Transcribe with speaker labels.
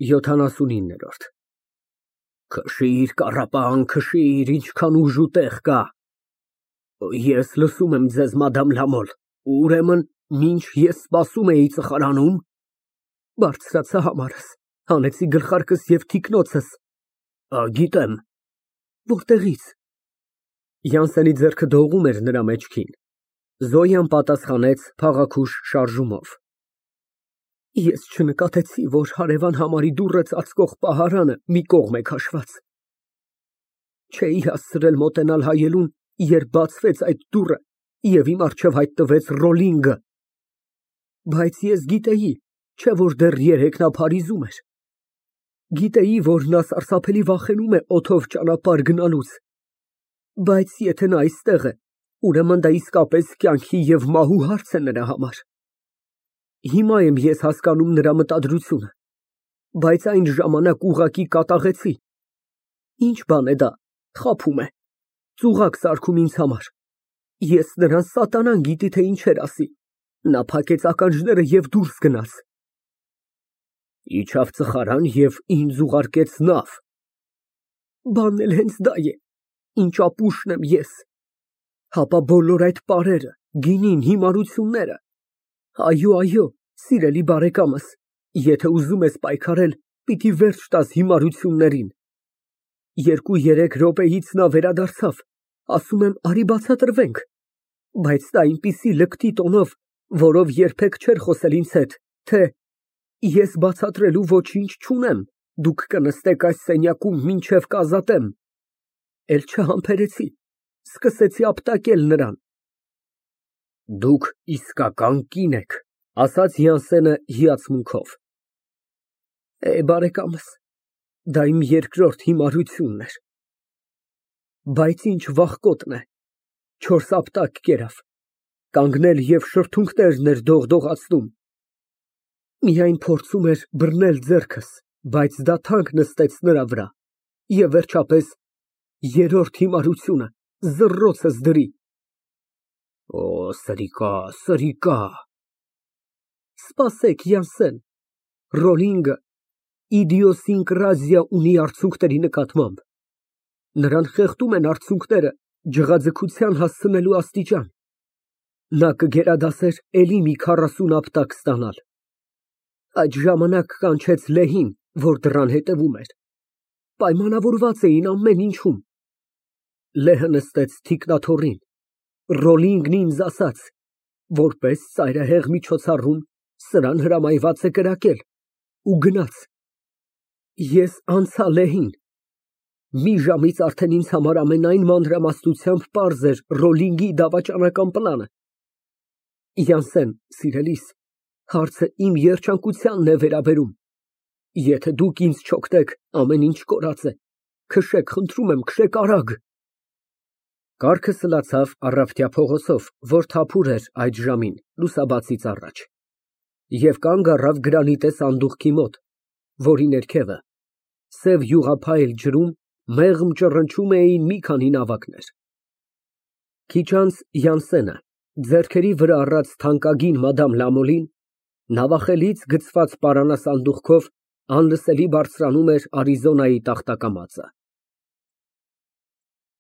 Speaker 1: 79։ Քշիր, կառապան, քշիր, ինչքան ուժ ու տեղ կա։ Ես լսում եմ ձեզ, մադամ Լամոլ, ուրեմն մինչ ես սպասում էի ծխարանում… Բարձրացա համարս, հանեցի գլխարկս և թիկնոցս… Գիտեմ… Որտեղի՞ց։ Յանսենի ձեռքը դողում էր նրա մեջքին։ Զոյան պատասխանեց փաղաքուշ շարժումով. Ես չնկատեցի, որ հարևան համարի դուռը ծածկող պահարանը մի կողմ է քաշված։ Չէի հասցրել մոտենալ հայելուն, երբ բացվեց այդ դուռը, և իմ առջև հայտնվեց Ռոլլինգը… Բայց ես գիտեի, չէ՞ որ դեռ երեկ նա Փարիզում էր… Գիտեի, որ նա սարսափելի վախենում է օդով ճանապարհ գնալուց… Բայց եթե նա այստեղ է, ուրեմն դա իսկապես կյանքի և մահու հարց է նրա համար… Հիմա եմ ես հասկանում նրա մտադրությունը… Բայց այն ժամանակ ուղղակի կատաղեցի… Ինչ բան է դա, խաբում է, ծուղակ սարքում ինձ համար… Ես նրան սատանան գիտի, թե ինչեր ասի… Նա փակեց ականջները և դուրս գնաց… Իջավ ծխարան և ինձ ուղարկեց նավ… Բանն էլ հենց դա է, ինչ ապուշն եմ ես… Հապա բոլոր այդ պարերը, գինին, հիմարությունները… Այո, սիրելի բարեկամս, եթե ուզում ես պայքարել, պիտի վերջ տաս հիմարություններին… 2-3 րոպեից նա վերադարձավ, ասում եմ, արի բացատրվենք… Բայց նա այնպիսի լկտի տոնով, որով երբեք չէր խոսել ինձ հետ, թե ես բացատրելու ոչինչ չունեմ, դուք կնստեք այս սենյակում, մինչև կազատեմ… Էլ չհամբերեցի, սկսեցի ապտակել նրան… Դուք իսկական կին եք, ասաց Յանսենը հիացմունքով… Բարեկամս, դա իմ երկրորդ հիմարությունն էր… Բայց ինչ վախկոտն է, 4 ապտակ կերավ, կանգնել և շրթունքներն էր դողդողացնում… Միայն փորձում էր բռնել ձեռքս, բայց դա թանկ նստեց նրա վրա… Եվ վերջապես, երրորդ հիմարությունը, զռռոցս դրի… Սրիկա… Սպասեք, Յանսեն, Ռոլլինգը իդիոսինկրազիա ունի արցունքների նկատմամբ… Նրան խեղդում են արցունքները ջղաձգության հասցնելու աստիճան… Նա կգերադասեր էլի մի 40 ապտակ ստանալ… Այդ ժամանակ կանչեց լեհին, որ դռան հետևում էր… Պայմանավորված էին ամեն ինչում… Լեհը նստեց թիկնաթոռին… Ռոլլինգն ինձ ասաց… Որպես ծայրահեղ միջոցառում սրան հրամայված է կրակել… ու գնաց… Ես անցա լեհին… Մի ժամից արդեն ինձ համար ամենայն մանրամասնությամբ պարզ էր Ռոլլինգի դավաճանական պլանը… Սիրելիս, հարցը իմ երջանկությանն է վերաբերում… Եթե դուք ինձ չօգնեք, ամեն ինչ կորած է… Քշեք, խնդրում եմ, քշեք արագ… Կառքը սլացավ Առավտյա փողոցով, որ թափուր էր այդ ժամին, լուսաբացից առաջ, և կանգ առավ գրանիտե սանդուղքի մոտ, որի ներքևը, սև յուղափայլ ջրում, մեղմ ճռնչում էին մի քանի նավակներ… Քիչ անց Յանսենը, ձեռքերի վրա առած թանկագին մադամ Լամոլին, նավախելից գցված պարանասանդուղքով անլսելի բարձրանում էր Արիզոնայի տախտակամածը։